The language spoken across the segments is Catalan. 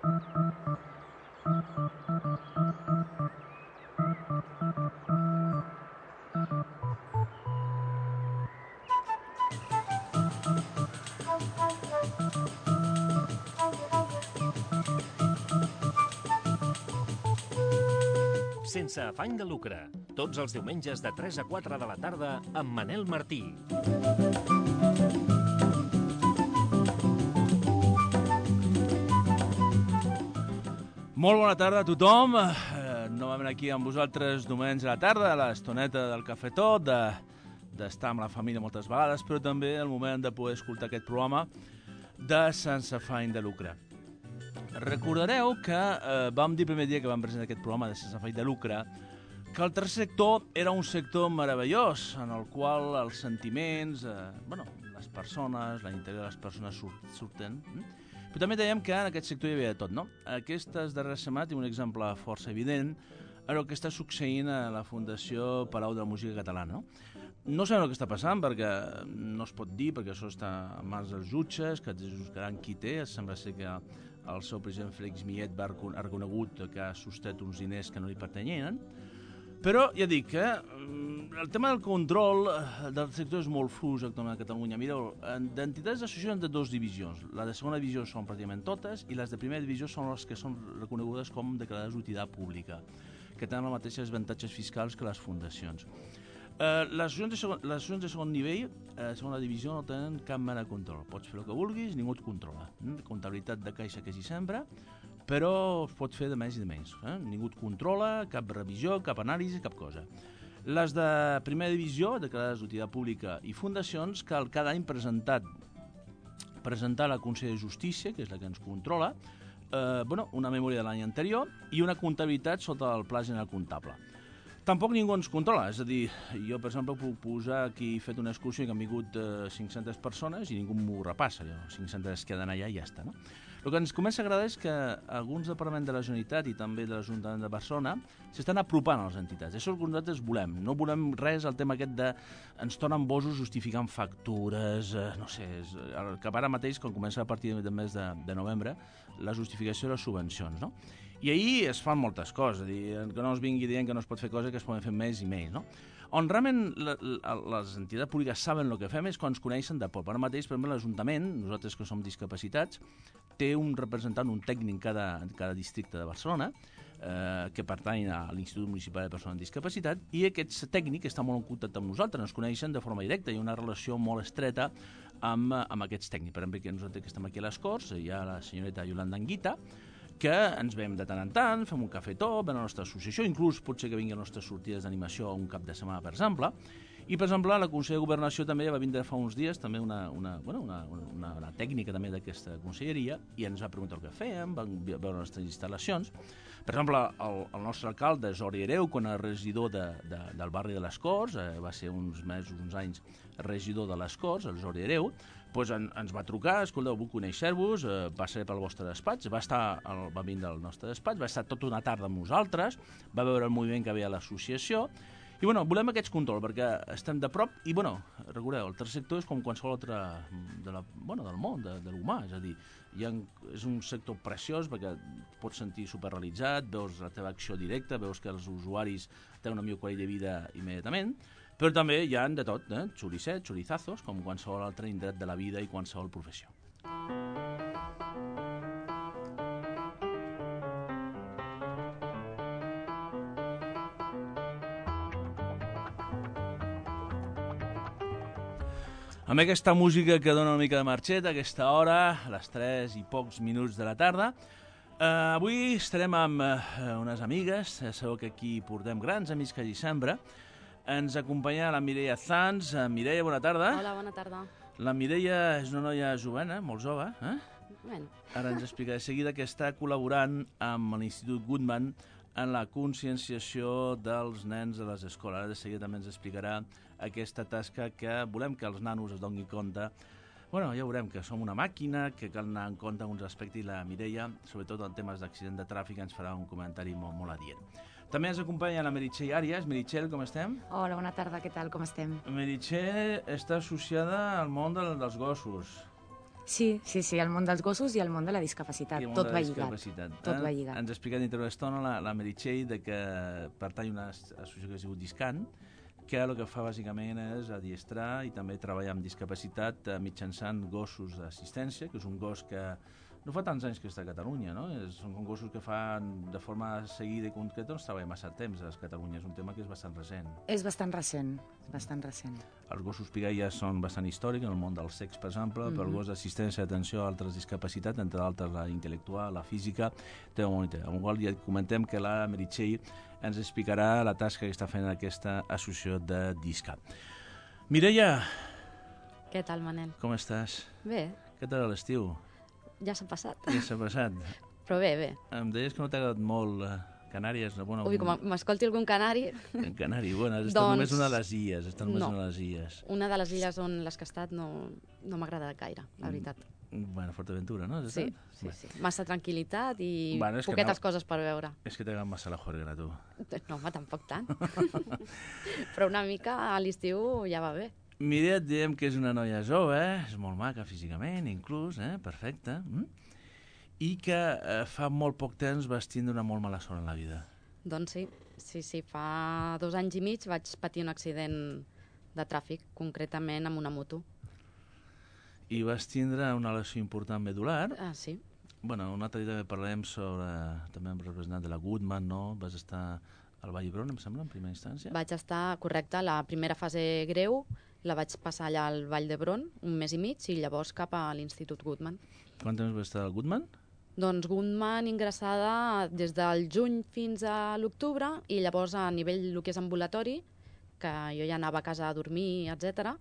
Sense afany de lucre. Tots els diumenges de 3 a 4 de la tarda amb Manel Martí. Molt bona tarda a tothom. Novament aquí amb vosaltres diumenge a la tarda, a l'estoneta del cafetó, d'estar amb la família moltes vegades, però també el moment de poder escoltar aquest programa de Sense afany de lucre. Recordareu que vam dir el primer dia que vam presentar aquest programa de Sense afany de lucre que el tercer sector era un sector meravellós en el qual els sentiments, les persones, l'interior de les persones surten. Però també dèiem que en aquest sector hi havia de tot, no? Aquestes darreres setmanes tinc un exemple força evident en el que està succeint a la Fundació Palau de la Música Catalana, no? No sabem el que està passant perquè no es pot dir, perquè això està en mans dels jutges, que juzgaran qui té. Sembla ser que el seu president Félix Millet ha reconegut que ha sostret uns diners que no li pertanyien. Però ja dic que el tema del control del sector és molt fluix actualment a Catalunya. Mireu, d'entitats d'associacions de dues divisions. La de segona divisió són pràcticament totes i les de primera divisió són les que són reconegudes com declarades d'utilitat pública, que tenen els mateixos avantatges fiscals que les fundacions. Les associacions de segon nivell, segona divisió, no tenen cap mena de control. Pots fer el que vulguis, ningú et controla. Comptabilitat de caixa que s'hi sembra, però es pot fer de més i de menys. Ningú et controla, cap revisió, cap anàlisi, cap cosa. Les de primera divisió, declarades d'utilitat pública i fundacions, cal cada any presentar a la Consell de Justícia, que és la que ens controla, una memòria de l'any anterior i una comptabilitat sota el Pla General Comptable. Tampoc ningú ens controla, és a dir, jo, per exemple, puc posar aquí, he fet una excursió que han vingut 500 persones i ningú m'ho repassa, 500 es queden allà i ja està, no? El que ens comença a agradar és que alguns departaments de la Generalitat i també de l'Ajuntament de Barcelona s'estan apropant a les entitats. Això és el que nosaltres volem. No volem res al tema aquest de ens tornen bosos justificant factures, no sé, que ara mateix, quan comença a partir del mes de novembre, la justificació de les subvencions, no? I ahir es fan moltes coses, que no es vingui dient que no es pot fer coses que es poden fer més i més, no? On realment les entitats públiques saben el que fem és quan ens coneixen de poc. Ara mateix, per exemple, l'Ajuntament, nosaltres que som discapacitats, té un representant, un tècnic en cada districte de Barcelona, que pertany a l'Institut Municipal de Persones amb Discapacitat, i aquest tècnic està molt en contacte amb nosaltres, ens coneixen de forma directa, hi ha una relació molt estreta amb aquests tècnics. Per exemple, que nosaltres que estem aquí a les Corts, hi ha la senyoreta Yolanda Anguita, que ens veiem de tant en tant, fem un cafetó, ven a la nostra associació, inclús pot ser que vingui a les nostres sortides d'animació un cap de setmana, per exemple. I, per exemple, la Consell de Governació també va vindre fa uns dies, també una tècnica també d'aquesta conselleria, i ens va preguntar el que fèiem, van veure les nostres instal·lacions. Per exemple, el nostre alcalde, Jordi Hereu, quan era regidor del barri de les Corts, va ser uns anys regidor de les Corts, el Jordi Hereu, doncs ens va trucar, escolteu, vull conèixer-vos, passaré pel vostre despatx, va vindre al nostre despatx, va estar tota una tarda amb nosaltres, va veure el moviment que havia a l'associació, i volem aquests controls, perquè estem de prop, i recordeu, el tercer sector és com qualsevol altre del món, de l'humà, és a dir, és un sector preciós perquè pots sentir superrealitzat, veus la teva acció directa, veus que els usuaris tenen una millor qualitat de vida immediatament, però també hi ha de tot, xoricets, xorizazos, com qualsevol altre indret de la vida i qualsevol professió. Amb aquesta música que dona una mica de marxet a aquesta hora, a les 3 i pocs minuts de la tarda, avui estarem amb unes amigues, sabeu que aquí portem grans amics que hi sembra. Ens acompanya la Mireia Zanz. Mireia, bona tarda. Hola, bona tarda. La Mireia és una noia jovena, molt jove. Bueno. Ara ens explicaré de seguida que està col·laborant amb l'Institut Goodman en la conscienciació dels nens a les escoles. Ara de seguida també ens explicarà aquesta tasca que volem que els nanos es donin compte. Ja veurem que som una màquina, que cal anar en compte en uns aspectes, i la Mireia, sobretot en temes d'accident de tràfic, ens farà un comentari molt adient. També ens acompanya la Meritxell Àries. Meritxell, com estem? Hola, bona tarda, què tal, com estem? Meritxell està associada al món dels gossos. Sí, el món dels gossos i el món de la discapacitat, tot va lligat. Tot va lligat. Ens ha explicat dintre una estona la Meritxell que pertany a una associació que es diu Discan, que el que fa bàsicament és adiestrar i també treballar amb discapacitat mitjançant gossos d'assistència, que és un gos que no fa tants anys que està a Catalunya, no? Són gossos que fan de forma seguida i concreta, no es treballa massa temps a Catalunya, és un tema que és bastant recent. És bastant recent, bastant recent. Els gossos pigaies són bastant històrics, en el món del sex, per exemple, però el gos d'assistència d'atenció a altres discapacitats, entre altres la intel·lectual, la física, té un monitor. Amb el qual ja comentem que la Meritxell ens explicarà la tasca que està fent aquesta associació de Disca. Mireia! Què tal, Manel? Com estàs? Bé. Què tal l'estiu? Ja s'ha passat. Ja s'ha passat. Però bé. Em deies que no t'ha agradat molt Canàries. Bueno, Ui, com m'escolti algun canari... Canari, bueno, has estat només una de les illes. Una de les illes on les que he estat no m'agrada gaire, la veritat. Bueno, Fortaventura, no? Sí. Massa tranquil·litat i poquetes coses per veure. És que t'agrada massa la juerga, tu. No, home, tampoc tant. Però una mica a l'estiu ja va bé. Mireia, diem que és una noia jove, és molt maca físicament, inclús, perfecte, i que fa molt poc temps vas tindre una molt mala sort en la vida. Doncs sí, fa 2 anys i mig vaig patir un accident de tràfic, concretament amb una moto. I vas tindre una lesió important medular. Sí. Bueno, un altre dia també parlem sobre, també amb representant de la Goodman, no? Vas estar al Vall d'Hebron, em sembla, en primera instància? Vaig estar, correcte, la primera fase greu la vaig passar allà al Vall d'Hebron, 1 mes i mig, i llavors cap a l'Institut Goodman. Quant temps vas estar al Goodman? Doncs Goodman ingressada des del juny fins a l'octubre, i llavors a nivell el que és ambulatori, que jo ja anava a casa a dormir, etc.,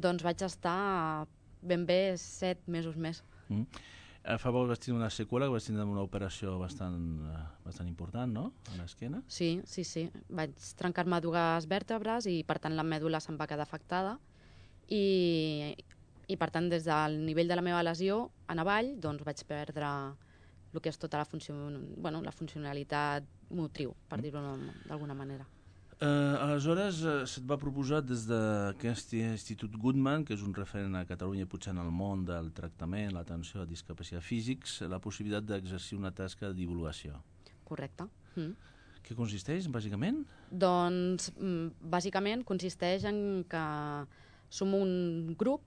doncs vaig estar ben bé 7 mesos més. Fa poc vas tindre una seqüela, que vas tindre una operació bastant important, no?, a l'esquena. Sí. Vaig trencar-me 2 vèrtebres i, per tant, la mèdula se'm va quedar afectada. I per tant, des del nivell de la meva lesió en avall, doncs vaig perdre el que és tota la funcionalitat motriu, per dir-ho d'alguna manera. Aleshores, se't va proposar des d'aquest Institut Goodman, que és un referent a Catalunya, potser en el món del tractament, l'atenció a discapacitats físics, la possibilitat d'exercir una tasca de divulgació. Correcte. Què consisteix, bàsicament? Doncs, bàsicament, consisteix en que som un grup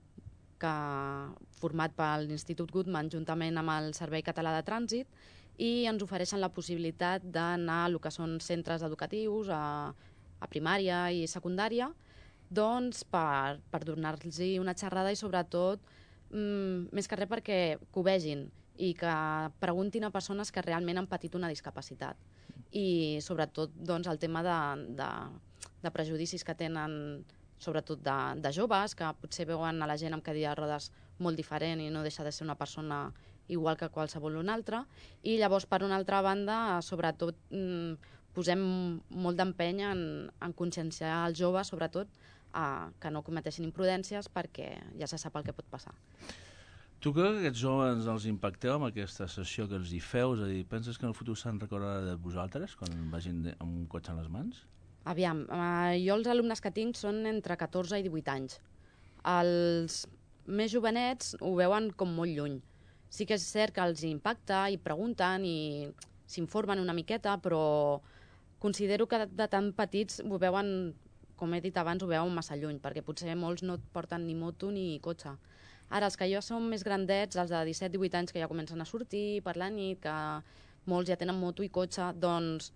format per l'Institut Goodman juntament amb el Servei Català de Trànsit, i ens ofereixen la possibilitat d'anar a el que són centres educatius, a primària i secundària, doncs per donar-los una xerrada i sobretot, més que res perquè ho vegin i que preguntin a persones que realment han patit una discapacitat. I sobretot doncs, el tema de prejudicis que tenen, sobretot de joves, que potser veuen a la gent amb cadira de rodes molt diferent i no deixa de ser una persona igual que qualsevol una altra. I llavors, per una altra banda, sobretot posem molt d'empeny en conscienciar els joves, sobretot, que no cometeixin imprudències perquè ja se sap el que pot passar. Tu creus que aquests joves els impacteu amb aquesta sessió que els hi feu? És a dir, penses que en el futur se'n recordarà de vosaltres quan vagin amb un cotxe en les mans? Aviam, jo els alumnes que tinc són entre 14 i 18 anys. Els més jovenets ho veuen com molt lluny. Sí que és cert que els impacta i pregunten i s'informen una miqueta, però considero que de tan petits ho veuen, com he dit abans, ho veuen massa lluny, perquè potser molts no porten ni moto ni cotxe. Ara, els que ja són més grandets, els de 17-18 anys que ja comencen a sortir per la nit, que molts ja tenen moto i cotxe, doncs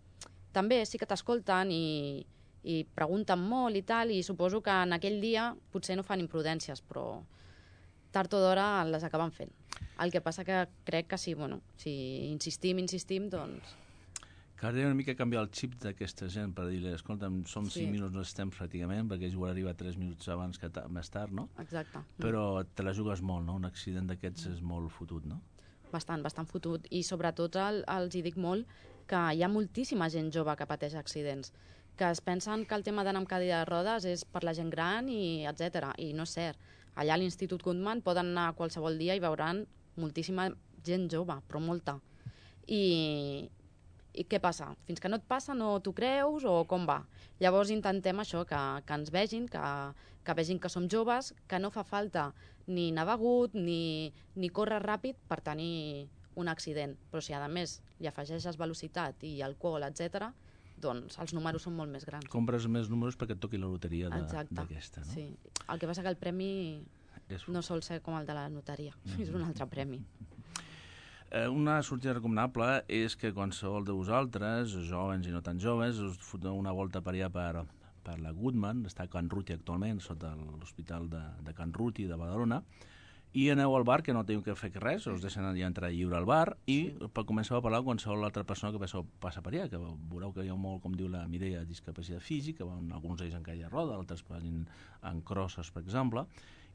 també sí que t'escolten i pregunten molt i tal, i suposo que en aquell dia potser no fan imprudències, però tard o d'hora les acaben fent. El que passa que crec que si insistim, doncs... Caldria una mica canviar el xip d'aquesta gent per dir-li, escolta'm, som 5 minuts no estem pràcticament, perquè ells volen arribar 3 minuts abans que més tard, no? Exacte. Però te la jugues molt, no? Un accident d'aquests és molt fotut, no? Bastant fotut. I sobretot els hi dic molt que hi ha moltíssima gent jove que pateix accidents, que es pensen que el tema d'anar amb cadira de rodes és per la gent gran i etc. I no és cert. Allà a l'Institut Goodman poden anar qualsevol dia i veuran moltíssima gent jove, però molta. I què passa? Fins que no et passa no t'ho creus o com va? Llavors intentem això, que ens vegin, que vegin que som joves, que no fa falta ni anar begut ni córrer ràpid per tenir un accident. Però si a més li afegeixes velocitat i alcohol, etc., doncs els números són molt més grans. Compres més números perquè et toqui la loteria d'aquesta, no? Sí. El que passa que el premi no sol ser com el de la notaria, és un altre premi. Una sortida recomanable és que qualsevol de vosaltres, joves i no tan joves, us foteu una volta per allà per la Goodman, està a Can Ruti actualment, sota l'Hospital de Can Ruti de Badalona, i aneu al bar, que no teniu que fer res, us deixen allà entrar lliure al bar, i comenceu a parlar amb qualsevol altra persona que passa per allà, que veureu que hi ha molt, com diu la Mireia, discapacitat física, alguns d'ells en caia de roda, altres en crosses, per exemple,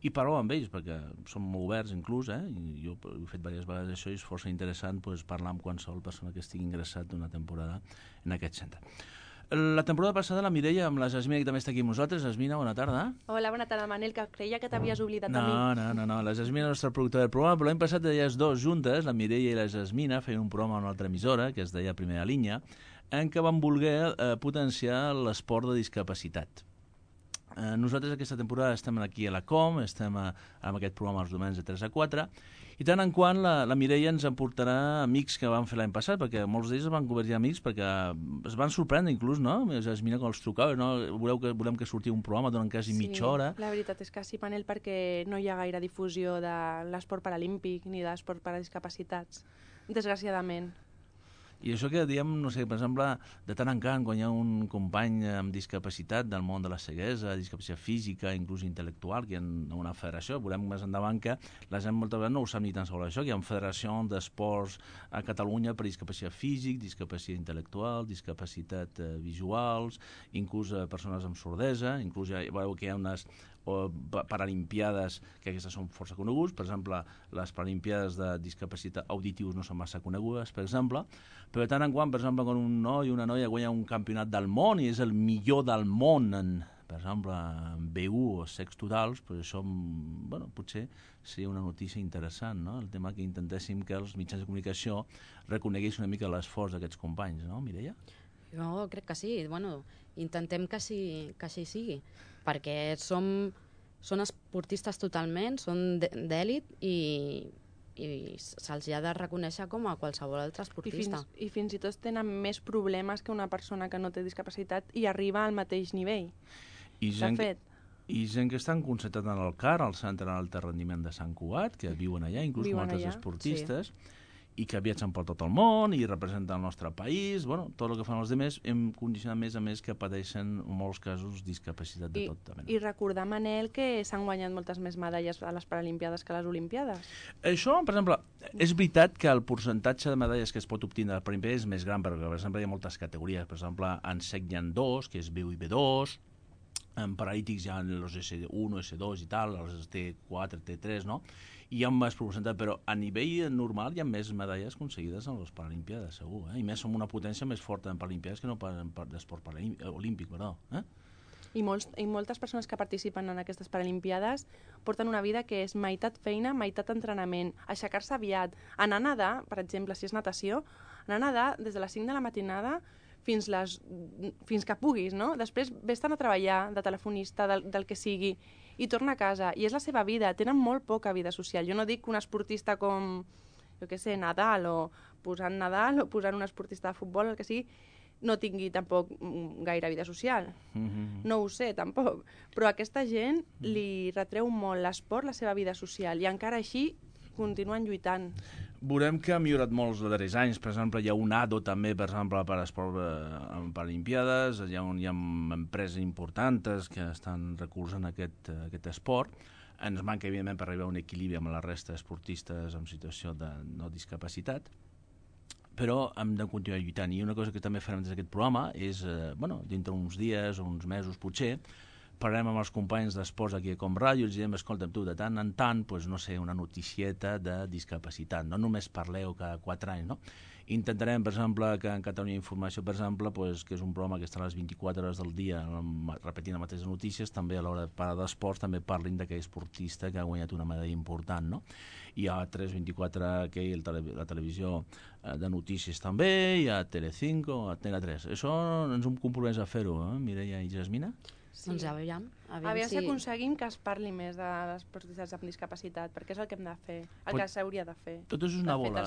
i parleu amb ells, perquè són molt oberts inclús, i jo he fet diverses vegades això i és força interessant parlar amb qualsevol persona que estigui ingressat una temporada en aquest centre. La temporada passada la Mireia amb la Jasmina, que també està aquí amb nosaltres. Jasmina, bona tarda. Hola, bona tarda, Manel, que creia que t'havies oblidat a mi. No, la Jasmina és la nostra productora del programa, però l'any passat elles dues juntes, la Mireia i la Jasmina, feien un programa en una altra emissora, que es deia Primera Línia, en què van voler potenciar l'esport de discapacitat. Nosaltres aquesta temporada estem aquí a la Com, estem amb aquest programa els diumenges de 3 a 4, i tant en quant la Mireia ens emportarà amics que van fer l'any passat, perquè molts d'ells es van convertir amics, perquè es van sorprendre inclús, no? Jasmina, quan els trucava, no? Volem que sortia un programa, donen quasi mitja hora. Sí, la veritat és que sí, Manel, perquè no hi ha gaire difusió de l'esport paralímpic ni de l'esport per a discapacitats, desgraciadament. I això que diem, no sé, per exemple, de tant en tant, quan hi ha un company amb discapacitat del món de la ceguesa, discapacitat física, inclús intel·lectual, que hi ha una federació, veurem més endavant que la gent moltes vegades no ho sap ni tan sobre això, que hi ha una federació d'esports a Catalunya per discapacitat físic, discapacitat intel·lectual, discapacitat visuals, inclús persones amb sordesa, inclús ja veureu que hi ha unes paralimpiades, que aquestes són força conegudes, per exemple, les paralimpiades de discapacitat auditius no són massa conegudes, per exemple, però de tant en quant, per exemple, quan un noi o una noia guanya un campionat del món i és el millor del món en, per exemple, en B1 o sex totals, pues això, bueno, potser seria una notícia interessant, no? El tema que intentéssim que els mitjans de comunicació reconeguessin una mica l'esforç d'aquests companys, no, Mireia? Jo crec que sí, bueno, intentem que així sigui, perquè són esportistes totalment, són d'èlit i se'ls ha de reconèixer com a qualsevol altre esportista. I fins i tot tenen més problemes que una persona que no té discapacitat i arriba al mateix nivell. I gent que estan concentrats en el CAR, el Centre d'Alta Rendiment de Sant Cugat, que viuen allà, inclús com altres esportistes, i que viatgen per tot el món i representen el nostre país, bueno, tot el que fan els altres hem condicionat més a més que pateixen en molts casos discapacitat de tot. I recordar, Manel, que s'han guanyat moltes més medalles a les Paralimpiades que a les Olimpiades. Això, per exemple, és veritat que el percentatge de medalles que es pot obtenir a les Paralimpiades és més gran, perquè, per exemple, hi ha moltes categories. Per exemple, en sec hi ha 2, que és B1 i B2, en paralítics hi ha els S1, S2 i tal, els T4, T3, no? I hi ha més percentatge, però a nivell normal hi ha més medalles aconseguides en les Paralimpiades, segur, i més som una potència més forta en Paralimpiades que no d'esport olímpic, perdó. I moltes persones que participen en aquestes Paralimpiades porten una vida que és meitat feina, meitat entrenament, aixecar-se aviat, anar a nedar, per exemple, si és natació, anar a nedar des de les 5 de la matinada fins que puguis, no? Després vés-te'n a treballar de telefonista, del que sigui, i torna a casa. I és la seva vida, tenen molt poca vida social. Jo no dic que un esportista com, jo què sé, Nadal, o posant un esportista de futbol, el que sigui, no tingui tampoc gaire vida social. No ho sé, tampoc. Però a aquesta gent li retreu molt l'esport, la seva vida social, i encara així continuen lluitant. Veurem que ha millorat molts els darrers anys. Per exemple, hi ha un ADO també, per exemple, per esport en Paralimpiades, hi ha empreses importants que estan recolzant aquest esport. Ens manca, evidentment, per arribar a un equilibri amb la resta d'esportistes en situació de no discapacitat, però hem de continuar lluitant. I una cosa que també farem des d'aquest programa és, dintre uns dies o uns mesos potser, parlarem amb els companys d'esports aquí a Com Ràdio i els direm, escolta'm tu, de tant en tant, no sé, una noticieta de discapacitat. No només parleu cada 4 anys, no? Intentarem, per exemple, que en Catalunya Informació, per exemple, que és un programa que està a les 24 hores del dia repetint les mateixes notícies, també a l'hora de parlar d'esports també parlin d'aquell esportista que ha guanyat una medalla important, no? Hi ha 324, la televisió de notícies també, hi ha Telecinco, Antena 3. Això ens hem compromès a fer-ho, Mireia i Jasmina? Doncs ja veiem. Aviam si aconseguim que es parli més de les esportistes amb discapacitat, perquè és el que hem de fer, el que s'hauria de fer. Tot és una bola.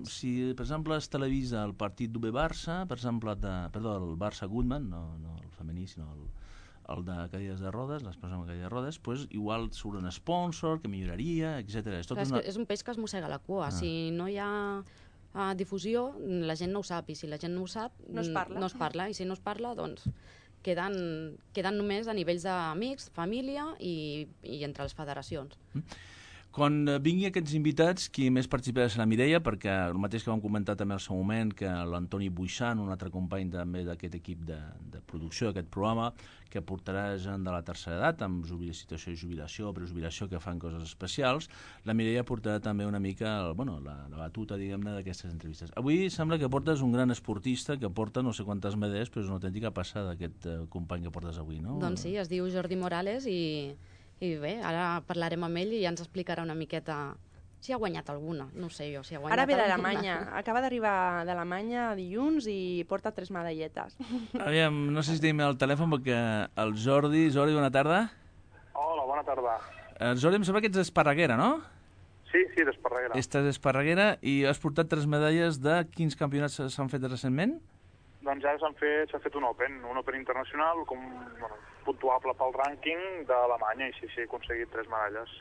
Si, per exemple, es televisa el partit d'UB-Barça, per exemple, el Barça-Goodman, no el femení, sinó el de cadires de rodes, les persones amb cadires de rodes, doncs igual surt un sponsor que milloraria, etc. És un peix que es mossega la cua. Si no hi ha difusió, la gent no ho sap, i si la gent no ho sap, no es parla, i si no es parla, doncs queden només a nivells d'amics, família i entre les federacions. Quan vingui aquests invitats, qui més participarà serà la Mireia, perquè el mateix que vam comentar també al seu moment, que l'Antoni Buixan, un altre company també d'aquest equip de producció d'aquest programa, que portarà gent de la tercera edat, amb situació de jubilació, prejubilació, que fan coses especials. La Mireia portarà també una mica la batuta, diguem-ne, d'aquestes entrevistes. Avui sembla que portes un gran esportista que porta no sé quantes medalles, però és una autèntica passada aquest company que portes avui, no? Doncs sí, es diu Jordi Morales i bé, ara parlarem amb ell i ja ens explicarà una miqueta si ha guanyat alguna. No sé jo si ha guanyat alguna. Ara ve d'Alemanya. Acaba d'arribar d'Alemanya dilluns i porta 3 medalletes. Aviam, no sé si tenim el telèfon perquè el Jordi... Jordi, bona tarda. Hola, bona tarda. Jordi, em sembla que ets d'Esparreguera, no? Sí, d'Esparreguera. Estàs d'Esparreguera i has portat 3 medalles de quins campionats s'han fet recentment? Doncs ara s'ha fet un Open internacional, puntuable pel rànquing d'Alemanya, i sí, he aconseguit 3 medalles.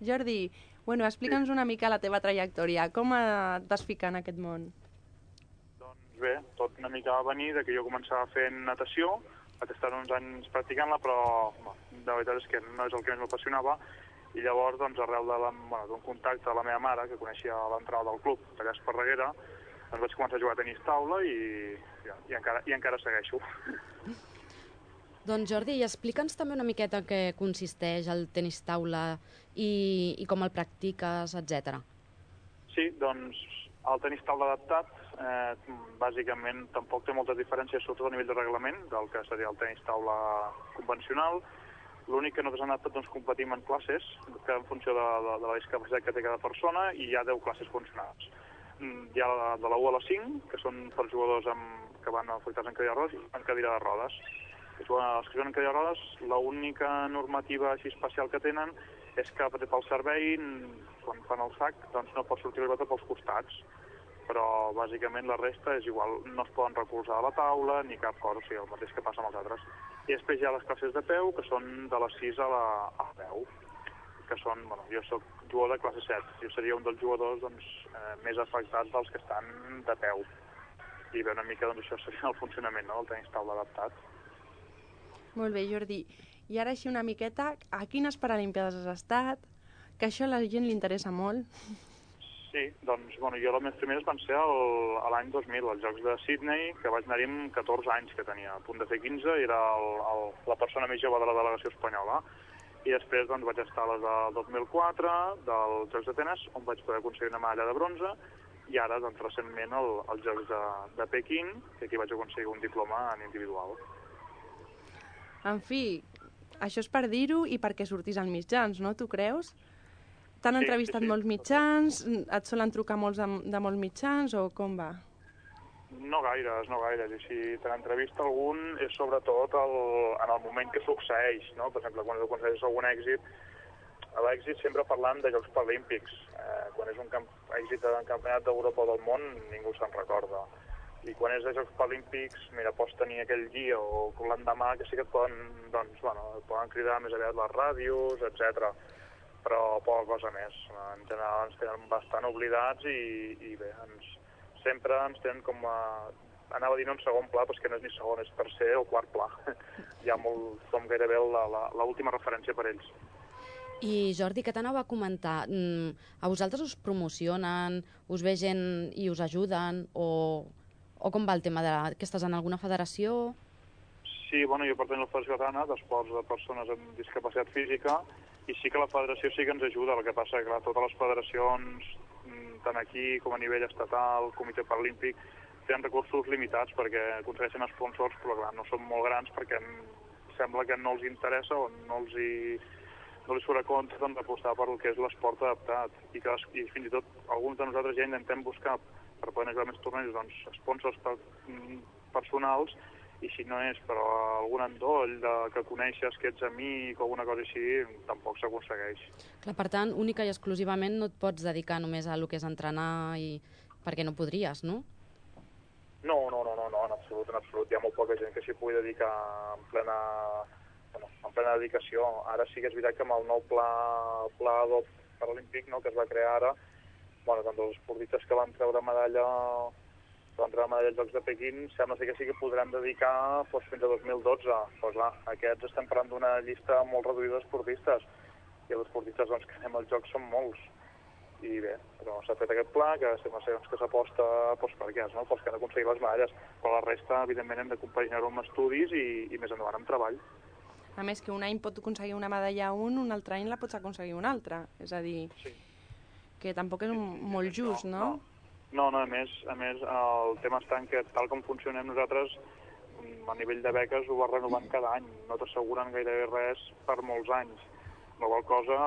Jordi, explica'ns una mica la teva trajectòria. Com et vas ficar en aquest món? Doncs bé, tot una mica va venir que jo començava fent natació, vaig estar uns anys practicant-la, però la veritat és que no és el que més m'apassionava, i llavors, arrel d'un contacte de la meva mare, que coneixia l'entrada del club allà a Esparreguera, vaig començar a jugar a tenis taula i encara segueixo. Doncs Jordi, explica'ns també una miqueta en què consisteix el tenis taula i com el practiques, etc. Sí, doncs el tenis taula adaptat bàsicament tampoc té moltes diferències, sobretot a nivell de reglament del que seria el tenis taula convencional. L'únic que nosaltres hem anat competim en classes, que en funció de la discapacitat que té cada persona, i hi ha 10 classes funcionals. Hi ha de la 1 a la 5, que són per jugadors que van afectats en cadira de rodes i en cadira de rodes. Els que juguen en cadira de rodes, l'única normativa així especial que tenen és que pel servei, quan fan el sac, doncs no pot sortir la pilota pels costats, però bàsicament la resta és igual, no es poden recolzar a la taula ni cap cosa, o sigui, el mateix que passa amb els altres. I després hi ha les classes de peu, que són de les 6 a la 10, que són, jo soc jugador de classe 7, jo seria un dels jugadors més afectats dels que estan de peu. I bé, una mica això seria el funcionament del tenis taula adaptat. Molt bé, Jordi. I ara així una miqueta, a quines Paralímpiades has estat? Que això a la gent li interessa molt. Sí, doncs, jo les meves primeres van ser l'any 2000, als Jocs de Sydney, que vaig anar-hi amb 14 anys, que tenia a punt de fer 15, i era la persona més jove de la delegació espanyola. I després vaig estar a les del 2004, dels Jocs d'Atenes, on vaig poder aconseguir una medalla de bronze, i ara, recentment, als Jocs de Pequín, que aquí vaig aconseguir un diploma en individual. En fi, això és per dir-ho i perquè sortis als mitjans, no? Tu creus? T'han entrevistat molts mitjans? Et solen trucar molts de molts mitjans o com va? No gaires. I si te n'entrevista algun és sobretot en el moment que succeeix, no? Per exemple, quan aconsegueixes algun èxit, l'èxit sempre parlant de Jocs Paralímpics. Quan és un èxit en campionat d'Europa o del món, ningú se'n recorda. I quan és de Jocs Paralímpics, pots tenir aquell dia o l'endemà que sí que et poden cridar més aviat les ràdios, etc. Però poca cosa més. En general ens tenen bastant oblidats i bé, sempre ens tenen anava a dir en segon pla, però és que no és ni segon, és tercer o quart pla. Som gairebé l'última referència per ells. I Jordi, què t'anava a comentar? A vosaltres us promocionen, us ve gent i us ajuden, o com va el tema que estàs en alguna federació? Sí, jo pertanyo a la Federació Catalana d'Esports de Persones amb Discapacitat Física, i sí que la federació sí que ens ajuda. El que passa que totes les federacions, tant aquí com a nivell estatal, Comitè Paralímpic, tenen recursos limitats perquè aconsegueixen sponsors, però clar, no són molt grans perquè sembla que no els interessa o no els surt a compte d'apostar per el que és l'esport adaptat. I fins i tot alguns de nosaltres ja intentem buscar per poder anar a més tornejos, doncs, sponsors personals, i si no és per algun endoll que coneixes, que ets amic o alguna cosa així, tampoc s'aconsegueix. Clar, per tant, única i exclusivament no et pots dedicar només a lo que és entrenar perquè no podries, no? No, en absolut. Hi ha molt poca gent que s'hi pugui dedicar en plena dedicació. Ara sí que és veritat que amb el nou pla paralímpic, no, que es va crear ara, tant els esportistes que van treure medalla als Jocs de Pequín, sembla que sí que podran dedicar fins a 2012. Però clar, aquests estem parlant d'una llista molt reduïda d'esportistes, i els esportistes que anem als Jocs són molts. I bé, però s'ha fet aquest pla que sembla que s'aposta per aquests, pels que han aconseguit les medalles, però la resta, evidentment, hem de compaginar-ho amb estudis i més endavant amb treball. A més, que un any pot aconseguir una medalla un altre any la pots aconseguir un altre. És a dir, que tampoc és molt just, no? No, a més, el tema està en que tal com funcionem nosaltres, a nivell de beques ho va renovant cada any, no t'asseguren gairebé res per molts anys. La qual cosa,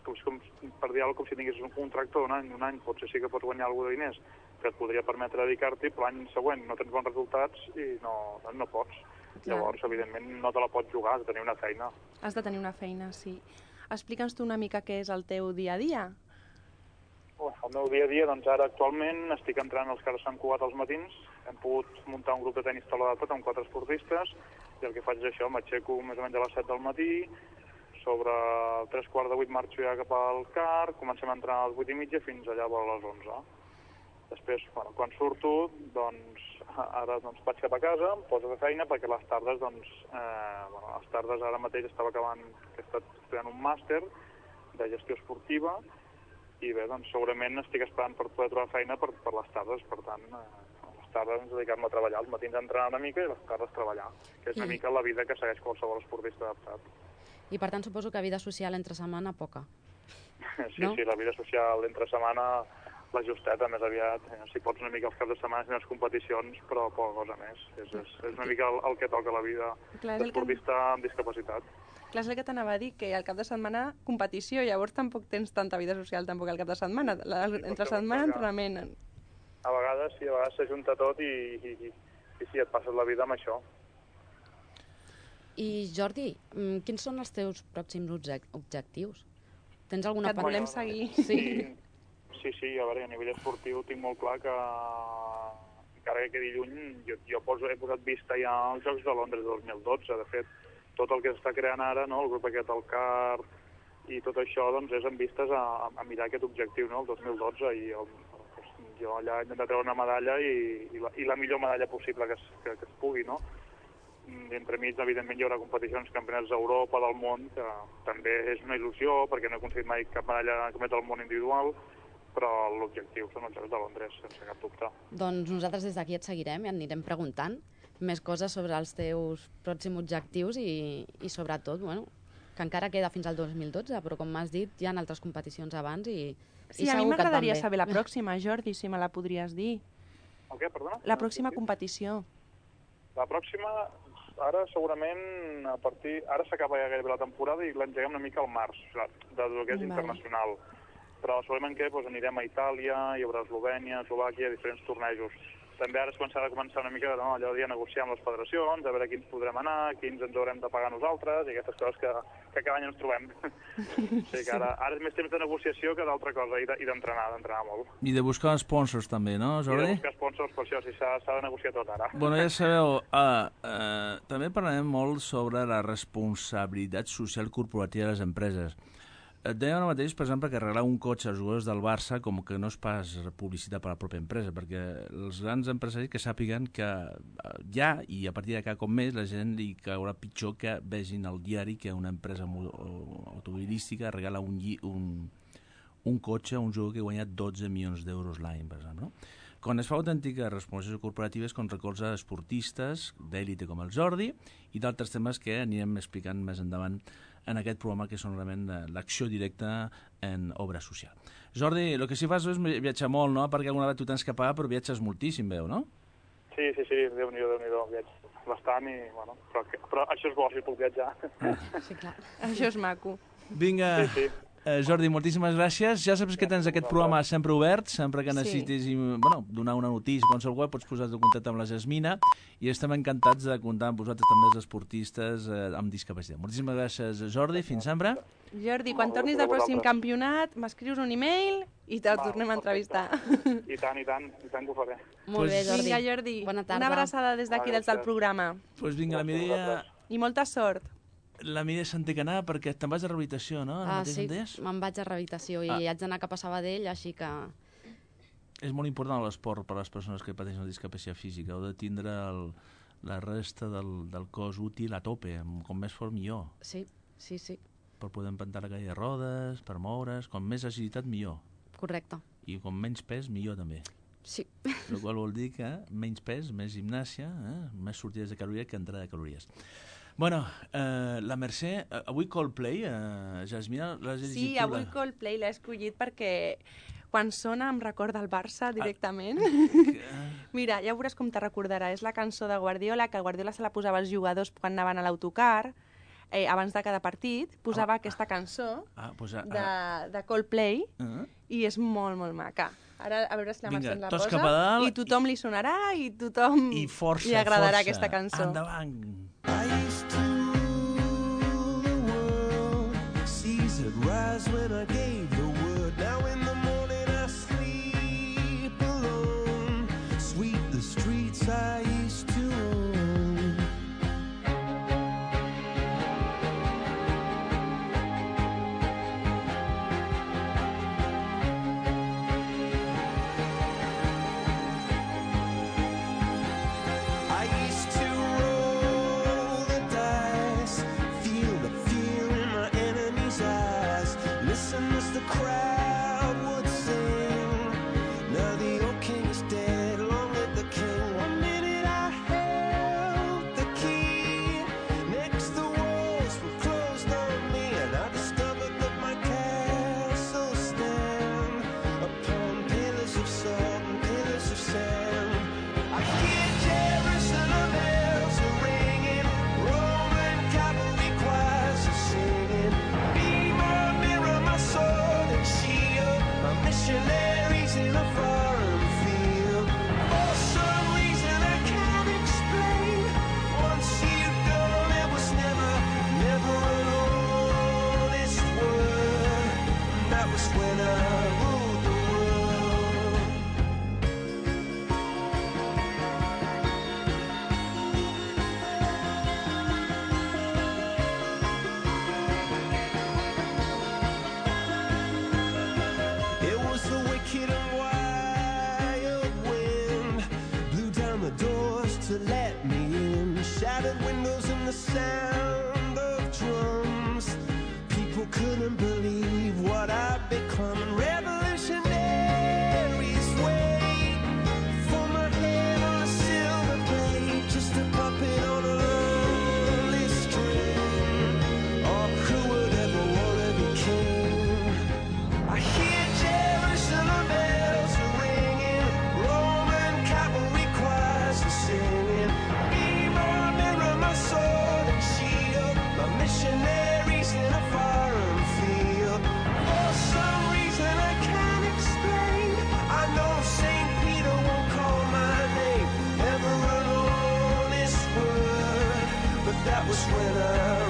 per dir alguna cosa, com si tinguessis un contracte d'un any, potser sí que pots guanyar alguna de diners que et podria permetre dedicar-t'hi, però l'any següent no tens bons resultats i no pots. Clar. Llavors, evidentment, no te la pots jugar, has de tenir una feina. Has de tenir una feina, sí. Explica'ns tu una mica què és el teu dia a dia. El meu dia a dia, doncs ara actualment estic entrant als Carles Sant Cugat als matins. Hem pogut muntar un grup de tenis taula d'adaptat amb 4 esportistes i el que faig és això, m'aixeco més o menys a les 7 del matí, sobre 7:45 marxo ja cap al CAR, comencem a entrenar a les 8:30 fins allà a les 11. Després, quan surto, ara vaig cap a casa, em poso de feina perquè les tardes, les tardes ara mateix estava acabant, que he estat estudiant un màster de gestió esportiva i bé, segurament estic esperant per poder trobar feina per les tardes, per tant, les tardes dedicar-me a treballar, els matins a entrenar una mica i les tardes treballar, que és una mica la vida que segueix qualsevol esportista adaptat. I per tant suposo que vida social entre setmana poca. Sí, la vida social entre setmana la justeta més aviat, si pots una mica els caps de setmana i les competicions, però poca cosa més. És una mica el que toca la vida d'esportista amb discapacitat. Clar, és el que t'anava a dir, que al cap de setmana competició, llavors tampoc tens tanta vida social tampoc al cap de setmana. Entre setmana, entrenament. A vegades s'ajunta tot i sí, et passes la vida amb això. I Jordi, quins són els teus pròxims objectius? Tens alguna que et volem seguir. Sí, a veure, a nivell esportiu tinc molt clar que encara que quedi lluny, jo he posat vista ja als Jocs de Londres 2012. De fet, tot el que s'està creant ara, el grup aquest, el CAR, i tot això és en vistes a mirar aquest objectiu, el 2012, i jo allà he intentat treure una medalla i la millor medalla possible que es pugui, no? Entremig, evidentment, hi haurà competicions, campionats d'Europa, del món, que també és una il·lusió, perquè no he aconseguit mai cap medalla campionat del món individual, però l'objectiu són els Jocs de Londres, sense cap dubte. Doncs nosaltres des d'aquí et seguirem i et anirem preguntant més coses sobre els teus pròxims objectius i sobretot, que encara queda fins al 2012, però com m'has dit, hi ha altres competicions abans i sí, a mi m'agradaria saber la pròxima, Jordi, si me la podries dir. El què, perdona? La pròxima competició. La pròxima, ara segurament, ara s'acaba ja gairebé la temporada i l'engeguem una mica al març, del que és internacional. Però segurament que anirem a Itàlia, hi haurà Eslovènia, Eslovàquia, diferents tornejos. També ara es començarà una mica allò de negociar amb les federacions, a veure quins podrem anar, quins ens haurem de pagar nosaltres, i aquestes coses que cada any ens trobem. Sí, que ara és més temps de negociació que d'altra cosa, i d'entrenar molt. I de buscar sponsors també, no, Jordi? I de buscar sponsors, per això, sí, s'ha de negociar tot ara. Bueno, ja sabeu, també parlarem molt sobre la responsabilitat social corporativa de les empreses. Et deia ara mateix, per exemple, que arreglar un cotxe als jugadors del Barça com que no és pas publicitat per a la pròpia empresa, perquè els grans empresaris que sàpiguen que ja, i a partir de cada cop més, la gent li caurà pitjor que vegin al diari que una empresa automobilística regala un cotxe a un jugador que guanya 12 milions d'euros l'any, per exemple. Quan es fa autèntica responsabilitat corporativa és quan recolza esportistes d'èlite com el Jordi i d'altres temes que anirem explicant més endavant en aquest programa, que són realment l'acció directa en obra social. Jordi, el que sí fas és viatjar molt, no? Perquè alguna vegada tu tens que pagar, però viatges moltíssim, veu, no? Sí, Déu-n'hi-do, viatjo bastant, però això és bo, si puc viatjar. Sí, clar. Això és maco. Vinga, Jordi, moltíssimes gràcies. Ja saps que tens aquest programa sempre obert, sempre que necessitis donar una notícia, qualsevol web, pots posar-te en contacte amb la Jasmina i estem encantats de comptar amb vosaltres també els esportistes amb discapacitat. Moltíssimes gràcies, Jordi. Fins sempre. Jordi, quan tornis del pròxim campionat, m'escrius un e-mail i te'l tornem a entrevistar. I tant que ho faré. Molt bé, Jordi. Vinga, Jordi, bona tarda. una abraçada des d'aquí, des del programa. Doncs vinga, la Mireia... I molta sort. La Mireia se'n té que anar perquè te'n vas a rehabilitació, no? Sí, me'n vaig a rehabilitació i haig d'anar cap a Sabadell, així que... És molt important l'esport per a les persones que pateixen una discapacitat física. Heu de tindre la resta del cos útil a tope, com més fort millor. Sí. Per poder empentar la cadira de rodes, per moure's, com més agilitat millor. Correcte. I com menys pes millor també. Sí. El qual vol dir que menys pes, més gimnàsia, més sortides de calories que entrada de calories. Bueno, la Mercè, avui Coldplay, Jasmina, l'has llegit? Sí, avui Coldplay l'he escollit perquè quan sona em recorda el Barça directament. Mira, ja veuràs com te recordarà. És la cançó de Guardiola, que Guardiola se la posava als jugadors quan anaven a l'autocar, abans de cada partit, posava aquesta cançó de Coldplay i és molt, molt maca. Ara a veure si la Mercè la posa i tothom li sonarà i tothom li agradarà aquesta cançó. Endavant! I used to rule the world, seas that rise when I gave the word. Now in the morning I sleep alone, sweep the streets I used to own. I used to roll the dice, feel the fear in my enemy's eyes, listen as the crowd would sing. Now the old king is dead, long live the king. One minute I held the key, next the walls were closed on me, and I discovered that my castle stand upon pillars of salt and pillars of sand. I hear Jerusalem bells are ringing, Roman cavalry choirs are singing. Be my mirror, my sword and shield, my missionaries in a foreign field. For some reason I can't explain, once you've gone it was never an honest word. That was when I ruled the world. It was the wicked and wild wind, blew down the doors to let me in, shattered windows and the sound of drums. People couldn't believe what I'd become, and revolutionaries wait for my head on a silver plate, just a puppet on a lonely string. Oh, who would ever want to be king? I hear Jerusalem bells are ringing, Roman cavalry choirs are singing. Be my mirror, my sword and shield, my missionaries in a foreign field. For some reason I can't explain, I know St. Peter won't call my name, never an honest word, but that was when I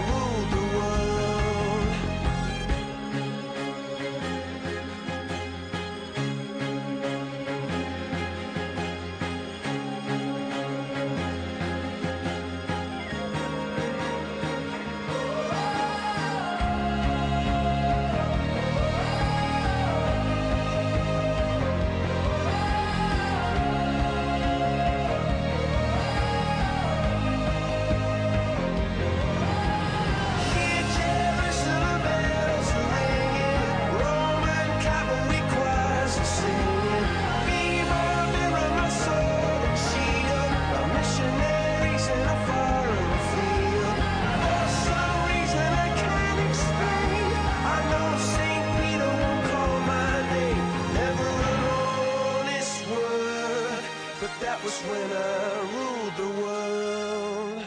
ruled the world. Hear Jerusalem bells are ringing, Roman cavalry choirs are singing. Be my mirror, my sword and shield, my missionaries in a foreign field. For some reason I can't explain, I know St. Peter won't call my name, never an honest word, but that was when I ruled the world.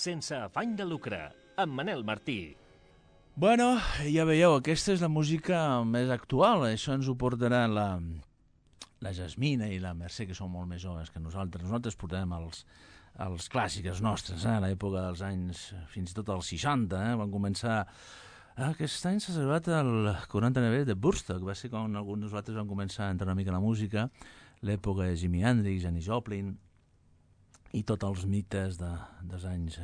sense afany de lucre, amb Manel Martí. Bueno, ja veieu, aquesta és la música més actual. Això ens ho portarà la Jasmina i la Mercè, que són molt més joves que nosaltres. Nosaltres portarem els clàssics nostres, a l'època dels anys, fins i tot als 60, van començar... Aquest any s'ha celebrat el 40 aniversari de Woodstock, va ser quan alguns de nosaltres van començar a entrar una mica a la música, l'època de Jimi Hendrix, Janis Joplin, i tots els mites dels anys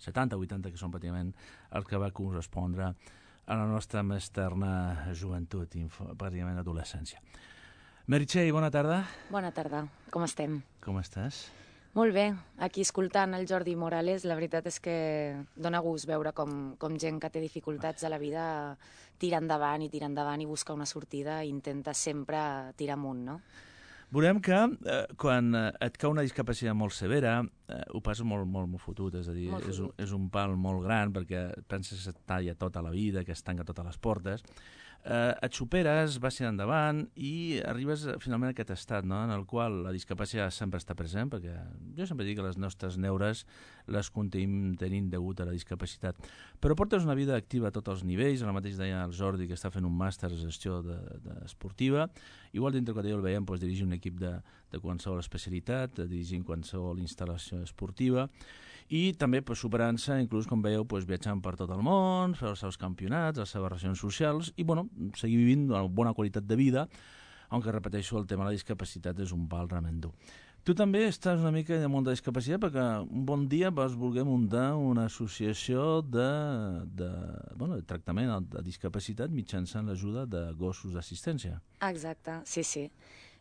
70, 80, que són pràcticament el que va correspondre a la nostra més terna joventut, pràcticament adolescència. Meritxell, bona tarda. Bona tarda, com estem? Com estàs? Molt bé, aquí escoltant el Jordi Morales, la veritat és que dona gust veure com gent que té dificultats a la vida tira endavant i busca una sortida i intenta sempre tirar amunt, no? Veurem que quan et cau una discapacitat molt severa, ho passes molt fotut, és a dir, és un pal molt gran perquè penses que et talla tota la vida, que es tanca totes les portes, et superes, vas endavant i arribes finalment a aquest estat, no?, en el qual la discapacitat sempre està present, perquè jo sempre dic que les nostres neures les continuem tenint degut a la discapacitat, però portes una vida activa a tots els nivells. Ara mateix deia el Jordi que està fent un màster de gestió esportiva, igual dintre que el veiem dirigir un equip de qualsevol especialitat, dirigir qualsevol instal·lació esportiva, i també superant-se, inclús, com veieu, viatjant per tot el món, fer els seus campionats, les seves relacions socials, i seguir vivint una bona qualitat de vida, aunque repeteixo, el tema de la discapacitat és un pal realment dur. Tu també estàs una mica en el món de discapacitat perquè un bon dia vas voler muntar una associació de tractament de discapacitat mitjançant l'ajuda de gossos d'assistència. Exacte, sí.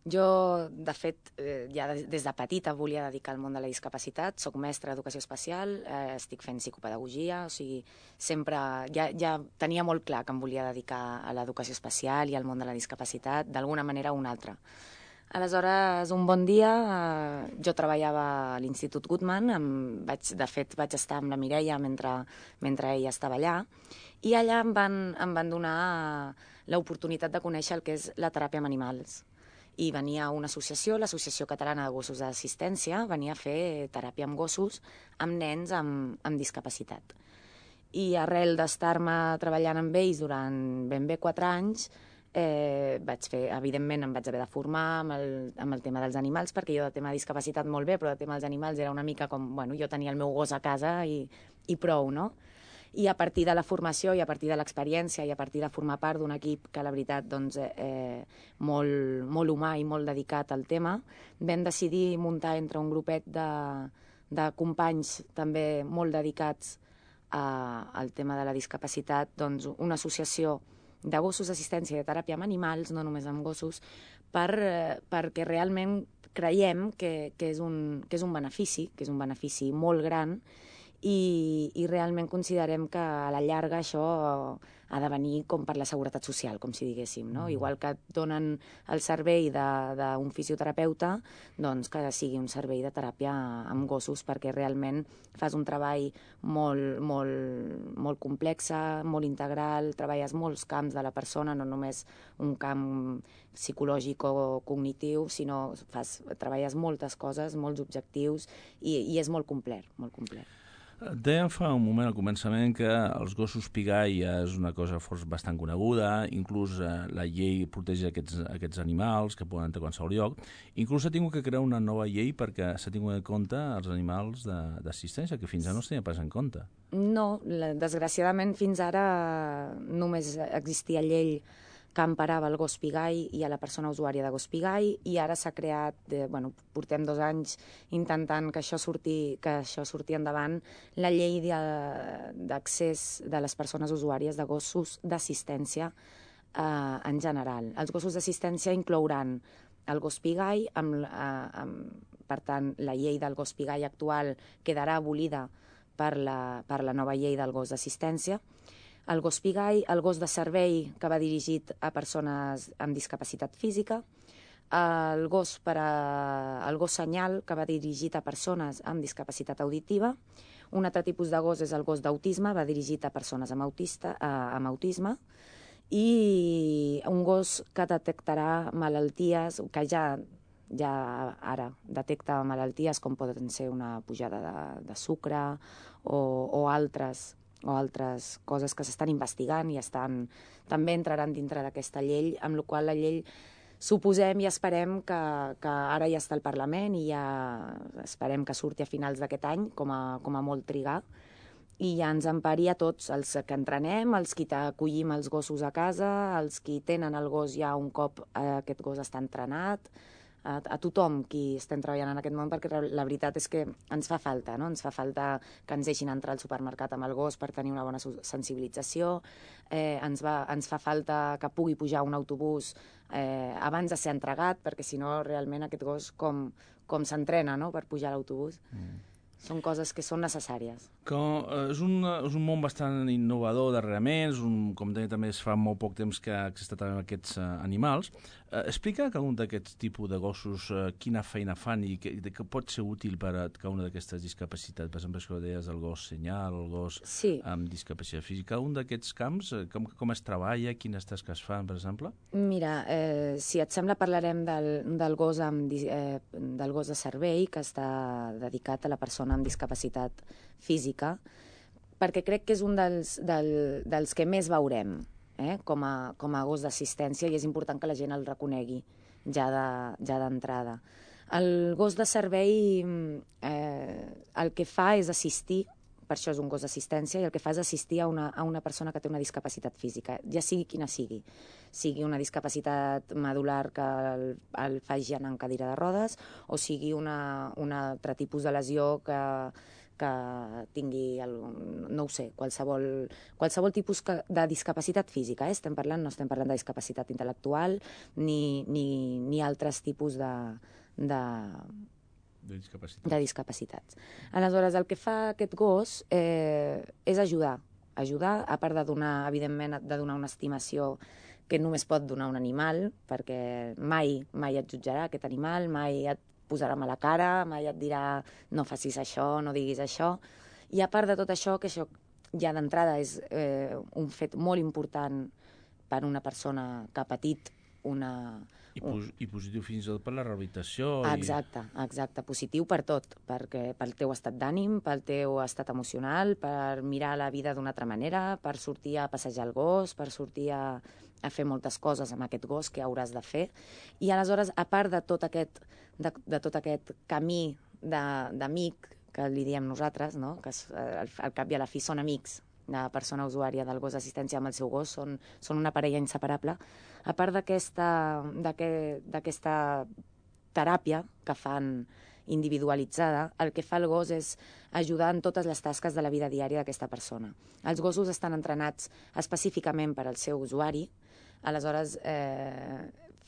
Jo, de fet, ja des de petita volia dedicar al món de la discapacitat. Soc mestra d'educació especial, estic fent psicopedagogia, o sigui, sempre ja tenia molt clar que em volia dedicar a l'educació especial i al món de la discapacitat, d'alguna manera o una altra. Aleshores, un bon dia, jo treballava a l'Institut Goodman, de fet vaig estar amb la Mireia mentre ella estava allà, i allà em van donar l'oportunitat de conèixer el que és la teràpia amb animals. I venia una associació, l'Associació Catalana de Gossos d'Assistència, venia a fer teràpia amb gossos amb nens amb discapacitat. I arrel d'estar-me treballant amb ells durant ben bé 4 anys, evidentment em vaig haver de formar amb el tema dels animals, perquè jo de tema de discapacitat molt bé, però de tema dels animals era una mica com, jo tenia el meu gos a casa i prou, no? I a partir de la formació i a partir de l'experiència i a partir de formar part d'un equip que la veritat molt humà i molt dedicat al tema, vam decidir muntar entre un grupet de companys també molt dedicats al tema de la discapacitat una associació de gossos d'assistència i de teràpia amb animals, no només amb gossos, perquè realment creiem que és un benefici molt gran. I realment considerem que a la llarga això ha de venir com per la seguretat social, com si diguéssim, no? Igual que et donen el servei d'un fisioterapeuta, doncs que sigui un servei de teràpia amb gossos, perquè realment fas un treball molt complex, molt integral, treballes molts camps de la persona, no només un camp psicològic o cognitiu, sinó treballes moltes coses, molts objectius, i és molt complet, molt complet. Dèiem fa un moment al començament que els gossos pigai és una cosa bastant coneguda, inclús la llei protegeix aquests animals que poden entrar a qualsevol lloc. Inclús s'ha tingut que crear una nova llei perquè s'ha tingut en compte els animals d'assistència, que fins ara no es tenia pas en compte. No, desgraciadament fins ara només existia llei que emparava el gos pigai i a la persona usuària de gos pigai, i ara s'ha creat, portem 2 anys intentant que això surti endavant, la llei d'accés de les persones usuàries de gossos d'assistència en general. Els gossos d'assistència inclouran el gos pigai, per tant, la llei del gos pigai actual quedarà abolida per la nova llei del gos d'assistència. El gos pigai, el gos de servei que va dirigit a persones amb discapacitat física, el gos senyal que va dirigit a persones amb discapacitat auditiva, un altre tipus de gos és el gos d'autisme, va dirigit a persones amb autisme, i un gos que detectarà malalties, que ja ja ara detecta malalties com poden ser una pujada de sucre o altres coses que s'estan investigant i també entraran dintre d'aquesta llei, amb la qual la llei suposem i esperem que ara ja està al Parlament i ja esperem que surti a finals d'aquest any, com a molt trigar, i ja ens empari a tots, els que entrenem, els que acollim els gossos a casa, els que tenen el gos ja un cop aquest gos està entrenat, a tothom qui estem treballant en aquest món, perquè la veritat és que ens fa falta, no? Ens fa falta que ens deixin entrar al supermercat amb el gos per tenir una bona sensibilització, ens fa falta que pugui pujar un autobús abans de ser entregat, perquè si no realment aquest gos com s'entrena, no?, per pujar a l'autobús. Són coses que són necessàries. És un món bastant innovador darrerament, com deia també es fa molt poc temps que s'està treballant aquests animals. Explica cada un d'aquests tipus de gossos quina feina fan i que pot ser útil per a cada una d'aquestes discapacitats. Per exemple, això que deies, el gos senyal, el gos amb discapacitat física. Cada un d'aquests camps, com es treballa, quines tasques fan, per exemple? Mira, si et sembla parlarem del gos de servei, que està dedicat a la persona amb discapacitat física, perquè crec que és un dels que més veurem com a gos d'assistència, i és important que la gent el reconegui ja d'entrada. El gos de servei el que fa és assistir, per això és un gos d'assistència, i el que fa és assistir a una persona que té una discapacitat física, ja sigui quina sigui una discapacitat medular que el faci anar en cadira de rodes, o sigui un altre tipus de lesió que tingui, no ho sé, qualsevol tipus de discapacitat física. No estem parlant de discapacitat intel·lectual ni altres tipus de discapacitats. Aleshores, el que fa aquest gos és ajudar, a part de donar, evidentment, una estimació que només pot donar un animal, perquè mai et jutjarà aquest animal, mai et posarà mala cara, mai et dirà no facis això, no diguis això. I a part de tot això, que això ja d'entrada és un fet molt important per una persona que ha patit I positiu fins i tot per la rehabilitació. Exacte, positiu per tot, pel teu estat d'ànim, pel teu estat emocional, per mirar la vida d'una altra manera, per sortir a passejar el gos, per sortir a fer moltes coses amb aquest gos que hauràs de fer. I aleshores, a part de tot aquest camí d'amic, que li diem nosaltres, no?, que al cap i a la fi són amics, la persona usuària del gos d'assistència amb el seu gos, són una parella inseparable. A part d'aquesta teràpia que fan individualitzada, el que fa el gos és ajudar en totes les tasques de la vida diària d'aquesta persona. Els gossos estan entrenats específicament per al seu usuari, aleshores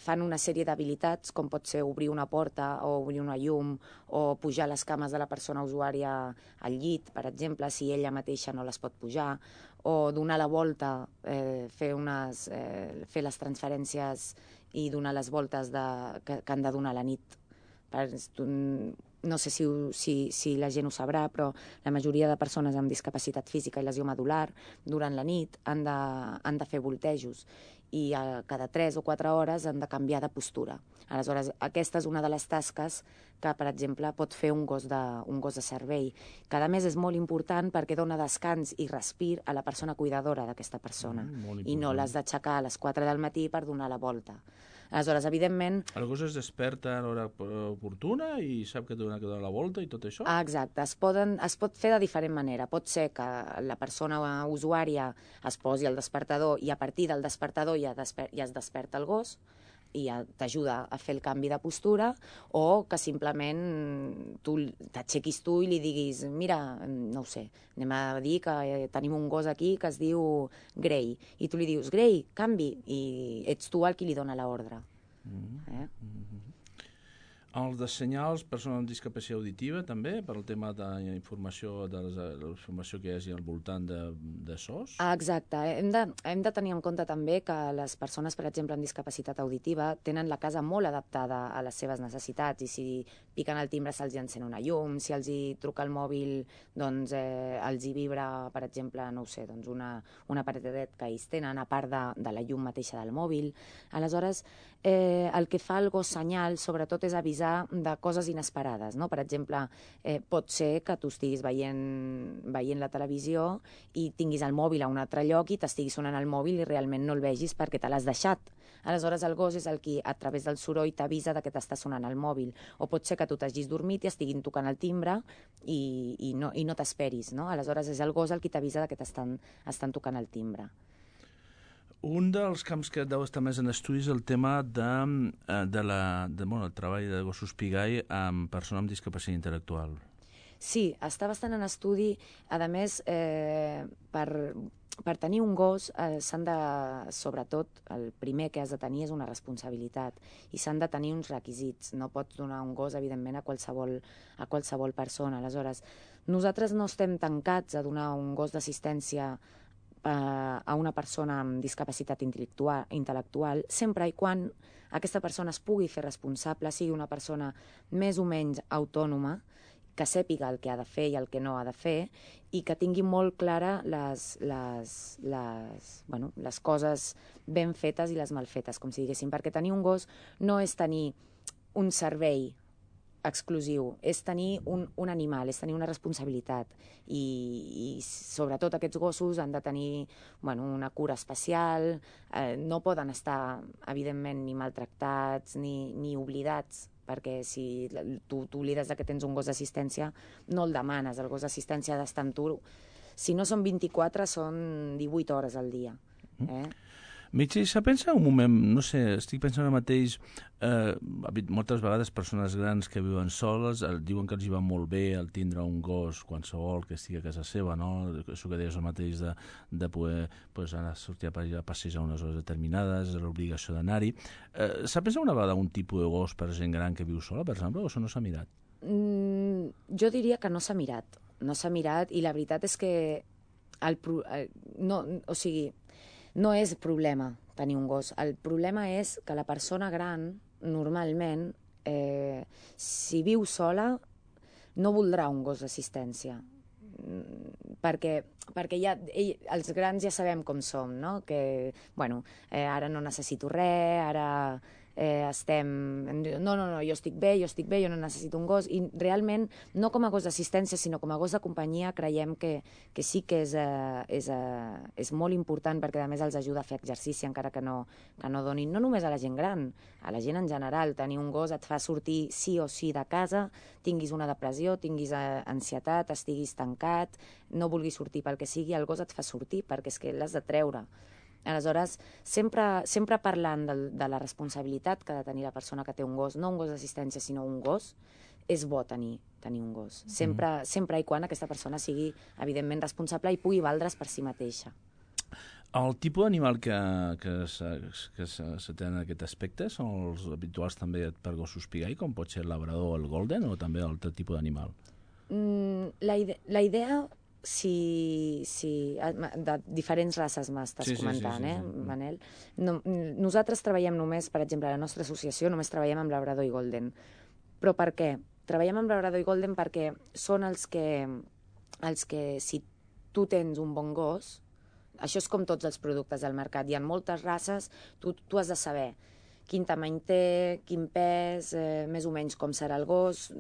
fan una sèrie d'habilitats, com pot ser obrir una porta o obrir una llum o pujar les cames de la persona usuària al llit, per exemple, si ella mateixa no les pot pujar, o donar la volta, fer les transferències i donar les voltes que han de donar a la nit. No sé si la gent ho sabrà, però la majoria de persones amb discapacitat física i lesió medular durant la nit han de fer voltejos i cada 3 o 4 hores han de canviar de postura. Aleshores, aquesta és una de les tasques que, per exemple, pot fer un gos de servei, que a més és molt important perquè dona descans i respir a la persona cuidadora d'aquesta persona, i no l'has d'aixecar a les 4 del matí per donar la volta. Aleshores, evidentment... El gos es desperta a l'hora oportuna i sap que té que donar la volta i tot això? Exacte. Es pot fer de diferent manera. Pot ser que la persona usuària es posi el despertador i a partir del despertador ja es desperta el gos i ja t'ajuda a fer el canvi de postura, o que simplement t'aixequis tu i li diguis mira, no ho sé, anem a dir que tenim un gos aquí que es diu Grey, i tu li dius Grey, canvi, i ets tu el qui li dona l'ordre. Els de senyals, persones amb discapacitat auditiva, també, per al tema de la informació que hi hagi al voltant de SOS? Exacte. Hem de tenir en compte també que les persones, per exemple, amb discapacitat auditiva, tenen la casa molt adaptada a les seves necessitats i si piquen el timbre se'ls encén una llum, si els hi truca el mòbil, doncs els hi vibra, per exemple, no ho sé, doncs una paradet que ells tenen, a part de la llum mateixa del mòbil. Aleshores, el que fa el gos senyal, sobretot, és avisar de coses inesperades, no? Per exemple, pot ser que tu estiguis veient la televisió i tinguis el mòbil a un altre lloc i t'estigui sonant el mòbil i realment no el vegis perquè te l'has deixat. Aleshores, el gos és el qui, a través del soroll, t'avisa que t'està sonant el mòbil. O pot ser que tu t'hagis dormit i estiguin tocant el timbre i no t'esperis, no? Aleshores, és el gos el qui t'avisa que estan tocant el timbre. Un dels camps que deu estar més en estudis és el tema del treball de gossos pigai amb persones amb discapacitat intel·lectual. Sí, està bastant en estudi. A més, per tenir un gos s'han de, sobretot, el primer que has de tenir és una responsabilitat i s'han de tenir uns requisits. No pots donar un gos, evidentment, a qualsevol persona. Aleshores, nosaltres no estem tancats a donar un gos d'assistència a una persona amb discapacitat intel·lectual, sempre i quan aquesta persona es pugui fer responsable, sigui una persona més o menys autònoma, que sàpiga el que ha de fer i el que no ha de fer i que tingui molt clara les coses ben fetes i les mal fetes, com si diguéssim, perquè tenir un gos no és tenir un servei exclusiu, és tenir un animal, és tenir una responsabilitat i sobretot aquests gossos han de tenir una cura especial, no poden estar evidentment ni maltractats ni oblidats, perquè si tu t'oblides que tens un gos d'assistència no el demanes, el gos d'assistència ha d'estar amb tu, si no són 24 són 18 hores al dia. Mitja, s'ha pensat un moment, no sé, estic pensant ara mateix, moltes vegades persones grans que viuen soles diuen que els hi va molt bé el tindre un gos qualsevol que estigui a casa seva, no? Això que deies el mateix de poder anar a sortir a passejar unes hores determinades, l'obligació d'anar-hi. S'ha pensat una vegada un tipus de gos per gent gran que viu sola, per exemple, o això no s'ha mirat? Jo diria que no s'ha mirat i la veritat és que no és problema tenir un gos. El problema és que la persona gran, normalment, si viu sola, no voldrà un gos d'assistència. Perquè els grans ja sabem com som, no? Que, ara no necessito res, ara no, jo estic bé, jo no necessito un gos, i realment no com a gos d'assistència sinó com a gos de companyia creiem que sí que és molt important, perquè a més els ajuda a fer exercici encara que no donin, no només a la gent gran, a la gent en general. Tenir un gos et fa sortir sí o sí de casa, tinguis una depressió, tinguis ansietat, estiguis tancat, no vulguis sortir pel que sigui, el gos et fa sortir perquè és que l'has de treure. Aleshores, sempre parlant de la responsabilitat que ha de tenir la persona que té un gos, no un gos d'assistència, sinó un gos, és bo tenir un gos. Sempre i quan aquesta persona sigui, evidentment, responsable i pugui valdre's per si mateixa. El tipus d'animal que se té en aquest aspecte són els habituals també per gossos pigai, com pot ser el labrador o el golden, o també altre tipus d'animal? La idea... de diferents races m'estàs comentant, Manel? Nosaltres treballem només, per exemple, a la nostra associació només treballem amb labrador i golden. Però per què? Treballem amb labrador i golden perquè són els que si tu tens un bon gos, això és com tots els productes del mercat, hi ha moltes races, tu has de saber quin tamany té, quin pes, més o menys com serà el gos.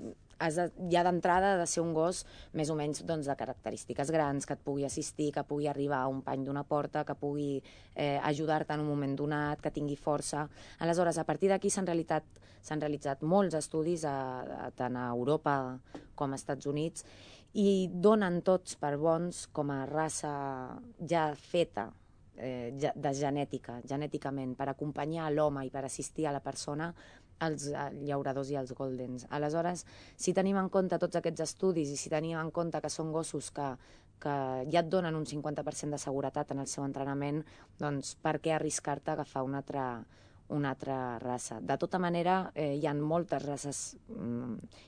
Ja d'entrada ha de ser un gos més o menys de característiques grans, que et pugui assistir, que pugui arribar a un pany d'una porta, que pugui ajudar-te en un moment donat, que tingui força. Aleshores, a partir d'aquí s'han realitzat molts estudis tant a Europa com als Estats Units i donen tots per bons com a raça ja feta, genèticament, per acompanyar l'home i per assistir a la persona, els llauradors i els goldens. Aleshores, si tenim en compte tots aquests estudis i si tenim en compte que són gossos que ja et donen un 50% de seguretat en el seu entrenament, doncs per què arriscar-te a agafar un una altra raça. De tota manera, hi ha moltes races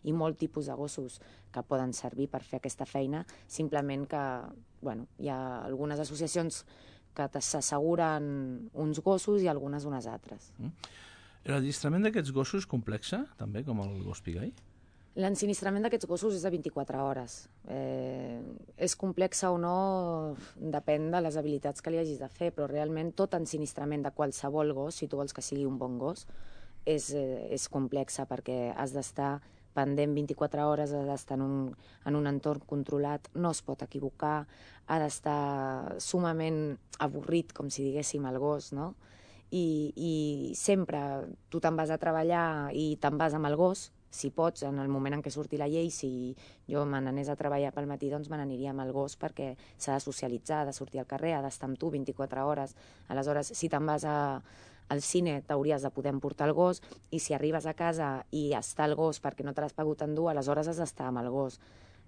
i molt tipus de gossos que poden servir per fer aquesta feina, simplement que hi ha algunes associacions que s'asseguren uns gossos i algunes unes altres. L'adiestrament d'aquests gossos és complexa, també, com el gos pigai? L'ensinistrament d'aquests gossos és de 24 hores. És complexa o no, depèn de les habilitats que li hagis de fer, però realment tot ensinistrament de qualsevol gos, si tu vols que sigui un bon gos, és complexa perquè has d'estar pendent 24 hores, ha d'estar en un entorn controlat, no es pot equivocar, ha d'estar sumament avorrit, com si diguéssim, el gos, no? I sempre tu te'n vas a treballar i te'n vas amb el gos, si pots, en el moment en què surti la llei, si jo me n'anés a treballar pel matí, doncs me n'aniria amb el gos perquè s'ha de socialitzar, ha de sortir al carrer, ha d'estar amb tu 24 hores. Aleshores, si te'n vas al cine, t'hauries de poder emportar el gos, i si arribes a casa i està el gos perquè no te l'has pogut endur, aleshores has d'estar amb el gos.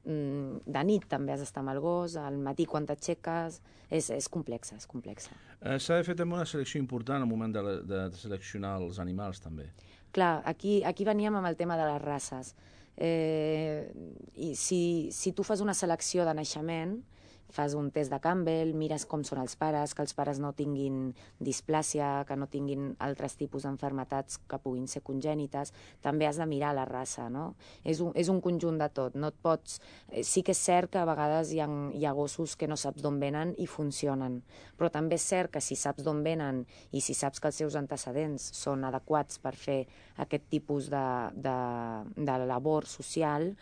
De nit també has d'estar amb el gos, al matí quan t'aixeques, és complexa, és complexa. S'ha de fer també una selecció important al moment de seleccionar els animals, també. Clar, aquí veníem amb el tema de les races. I si tu fas una selecció de naixement, fas un test de Campbell, mires com són els pares, que els pares no tinguin displàsia, que no tinguin altres tipus d'enfermetats que puguin ser congènites, també has de mirar la raça, no? És un conjunt de tot, no et pots... Sí que és cert que a vegades hi ha gossos que no saps d'on venen i funcionen, però també és cert que si saps d'on venen i si saps que els seus antecedents són adequats per fer aquest tipus de labor social,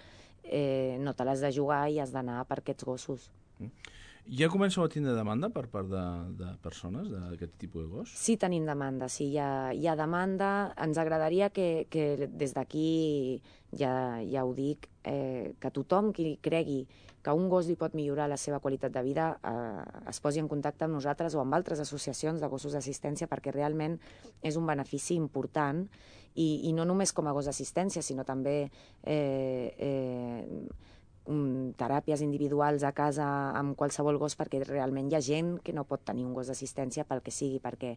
no te l'has de jugar i has d'anar per aquests gossos. Ja comenceu a tindre demanda per part de persones d'aquest tipus de gos? Sí, tenim demanda, sí, hi ha demanda. Ens agradaria que des d'aquí, ja ho dic, que tothom qui cregui que un gos li pot millorar la seva qualitat de vida es posi en contacte amb nosaltres o amb altres associacions de gossos d'assistència, perquè realment és un benefici important i no només com a gos d'assistència, sinó també teràpies individuals a casa amb qualsevol gos, perquè realment hi ha gent que no pot tenir un gos d'assistència pel que sigui, perquè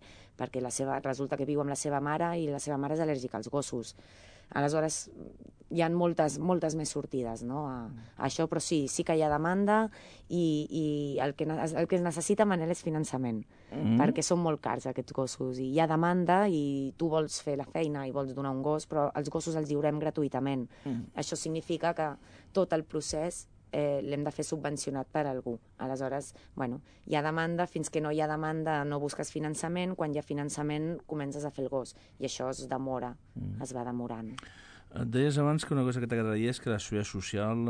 resulta que viu amb la seva mare i la seva mare és al·lèrgica als gossos. Aleshores, hi ha moltes més sortides, no, a això, però sí que hi ha demanda i el que es necessita, Manel, és finançament, perquè són molt cars aquests gossos, i hi ha demanda i tu vols fer la feina i vols donar un gos, però els gossos els lliurem gratuïtament. Això significa que tot el procés l'hem de fer subvencionat per algú. Aleshores, hi ha demanda, fins que no hi ha demanda no busques finançament, quan hi ha finançament comences a fer el gos, i això es demora, es va demorant. Et deies abans que una cosa que t'agradaria és que la seguretat social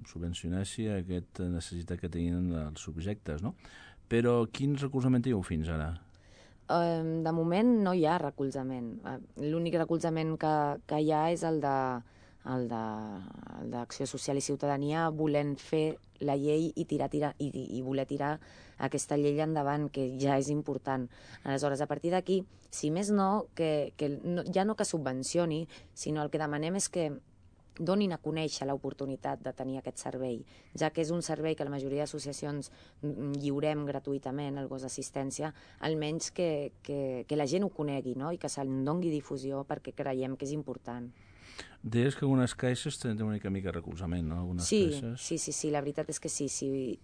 subvencionessi aquesta necessitat que tenien els subjectes, no? Però quin recolzament teniu fins ara? De moment no hi ha recolzament. L'únic recolzament que hi ha és el d'Acció Social i Ciutadania, volent fer la llei i voler tirar aquesta llei endavant, que ja és important. Aleshores, a partir d'aquí, si més no, ja no que subvencioni, sinó el que demanem és que donin a conèixer l'oportunitat de tenir aquest servei, ja que és un servei que la majoria d'associacions lliurem gratuïtament, el gos d'assistència, almenys que la gent ho conegui, no? I que se'n doni difusió, perquè creiem que és important. Deies que algunes caixes tenen una mica recolzament, no? Sí, la veritat és que sí.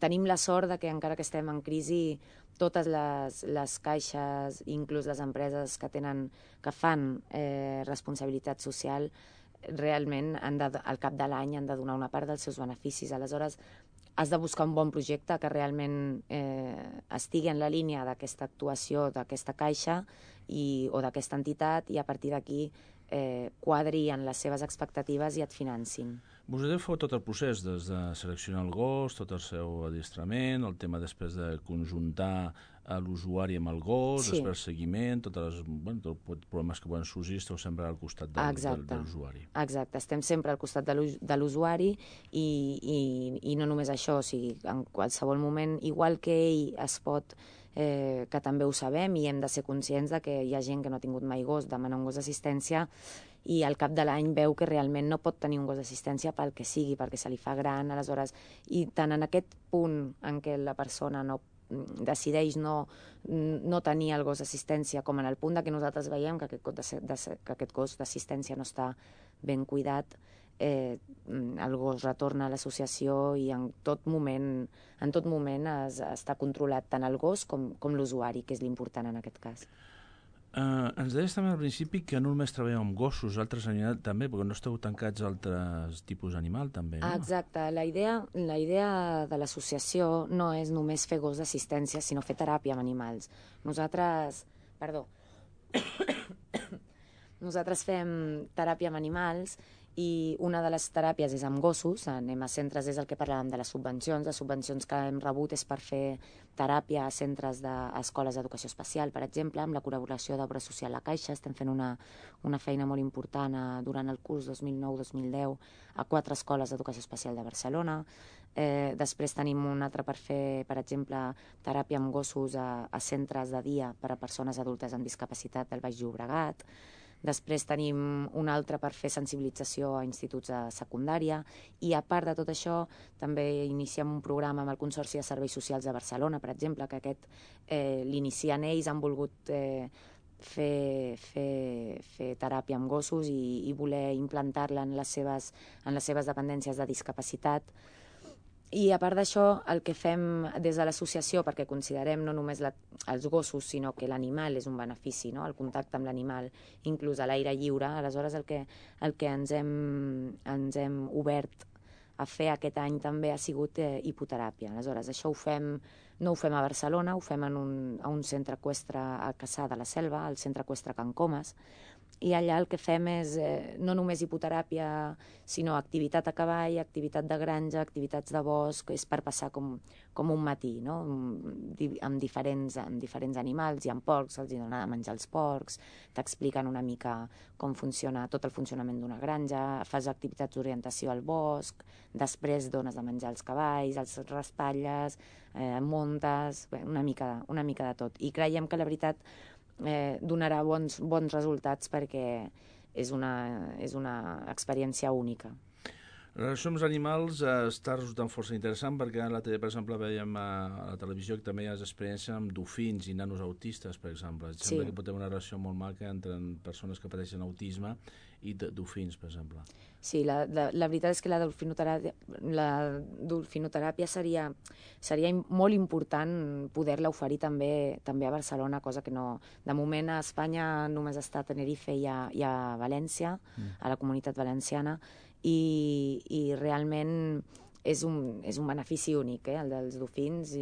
Tenim la sort de que, encara que estem en crisi, totes les caixes, inclús les empreses que fan responsabilitat social, realment al cap de l'any han de donar una part dels seus beneficis. Aleshores, has de buscar un bon projecte que realment estigui en la línia d'aquesta actuació, d'aquesta caixa o d'aquesta entitat, i a partir d'aquí quadri en les seves expectatives i et financin. Vosaltres feu tot el procés, des de seleccionar el gos, tot el seu adiestrament, el tema després de conjuntar l'usuari amb el gos, després seguiment, tots els problemes que poden sorgir, esteu sempre al costat de l'usuari. Exacte, estem sempre al costat de l'usuari i no només això, o sigui, en qualsevol moment, igual que ell es pot, que també ho sabem i hem de ser conscients de que hi ha gent que no ha tingut mai gos, demana un gos d'assistència i al cap de l'any veu que realment no pot tenir un gos d'assistència pel que sigui, perquè se li fa gran, aleshores, i tant en aquest punt en què la persona no decideix no tenir el gos d'assistència, com en el punt que nosaltres veiem que aquest gos d'assistència no està ben cuidat, el gos retorna a l'associació i en tot moment està controlat tant el gos com l'usuari, que és l'important en aquest cas. Ens deies també al principi que no només treballeu amb gossos, altres animals també, perquè no esteu tancats a altres tipus d'animal també, no? Exacte. La idea de l'associació no és només fer gos d'assistència, sinó fer teràpia amb animals. Nosaltres fem teràpia amb animals i una de les teràpies és amb gossos. Anem a centres, és el que parlàvem de les subvencions. Les subvencions que hem rebut és per fer teràpia a centres d'escoles d'educació especial, per exemple, amb la col·laboració d'Obra Social La Caixa. Estem fent una feina molt important durant el curs 2009-2010 a 4 escoles d'educació especial de Barcelona. Després tenim un altre per fer, per exemple, teràpia amb gossos a centres de dia per a persones adultes amb discapacitat del Baix Llobregat. Després tenim un altre per fer sensibilització a instituts de secundària i, a part de tot això, també iniciem un programa amb el Consorci de Serveis Socials de Barcelona, per exemple, que aquest l'inicien ells, han volgut fer teràpia amb gossos i voler implantar-la en les seves dependències de discapacitat. I a part d'això, el que fem des de l'associació, perquè considerem no només els gossos, sinó que l'animal és un benefici, no? El contacte amb l'animal, inclús a l'aire lliure, aleshores el que ens hem obert a fer aquest any també ha sigut hipoteràpia. Aleshores, això no ho fem a Barcelona, ho fem a un centre eqüestre a Cassà de la Selva, al centre eqüestre Can Comas, i allà el que fem és no només hipoteràpia, sinó activitat a cavall, activitat de granja, activitats de bosc, és per passar com un matí, no? amb diferents animals. Hi ha porcs, els donen a menjar els porcs, t'expliquen una mica com funciona tot el funcionament d'una granja, fas activitats d'orientació al bosc, després dones de menjar els cavalls, els raspalles, muntes, una mica de tot. I creiem que la veritat donarà bons resultats perquè és una experiència única. La relació amb els animals està resultant força interessant perquè l'altre dia, per exemple, veiem a la televisió que també hi ha experiència amb dofins i nanos autistes, per exemple. Sembla que pot haver una relació molt maca entre persones que pateixen autisme i dofins, per exemple. Sí, la veritat és que la delfinoteràpia seria molt important poder-la oferir també a Barcelona, cosa que no... De moment a Espanya només està a Tenerife i a València, a la Comunitat Valenciana, i realment és un benefici únic, el dels dofins.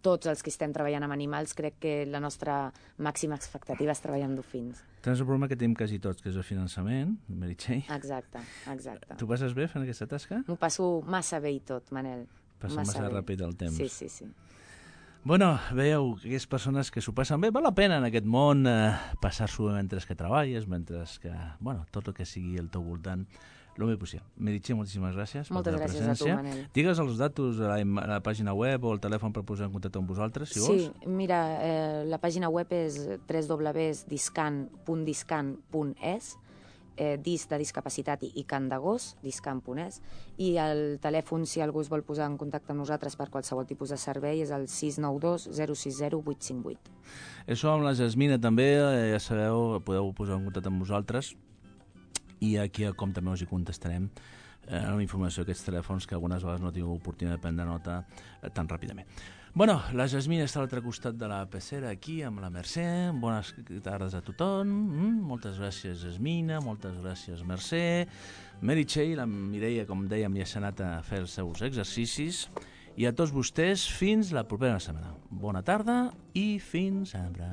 Tots els que estem treballant amb animals, crec que la nostra màxima expectativa és treballar amb dofins. Tens el problema que tenim quasi tots, que és el finançament, Meritxell. Exacte. Tu passes bé fent aquesta tasca? M'ho passo massa bé i tot, Manel. Passa massa ràpid el temps. Sí. Bueno, veieu, aquelles persones que s'ho passen bé, val la pena en aquest món passar-s'ho bé mentre que treballes, mentre que, tot el que sigui al teu voltant, el més possible. Meritxell, moltíssimes gràcies per la presència. Moltes gràcies a tu, Manel. Digues els datos a la pàgina web o el telèfon per posar en contacte amb vosaltres, si vols. Sí, mira, la pàgina web és www.discan.es, disc de discapacitat i cant de gos, discan.es, i el telèfon, si algú es vol posar en contacte amb nosaltres per qualsevol tipus de servei, és el 692 060 858. Això amb la Jasmina també, ja sabeu, podeu posar en contacte amb vosaltres, i aquí com també us hi contestarem una informació d'aquests telèfons que algunes vegades no tinc oportunitat de prendre nota tan ràpidament. Bueno, la Jasmina està a l'altre costat de la pecera, aquí, amb la Mercè. Bones tardes a tothom. Moltes gràcies, Jasmina. Moltes gràcies, Mercè. Meritxell, la Mireia, com dèiem, ja s'ha anat a fer els seus exercicis. I a tots vostès, fins la propera setmana. Bona tarda i fins sempre.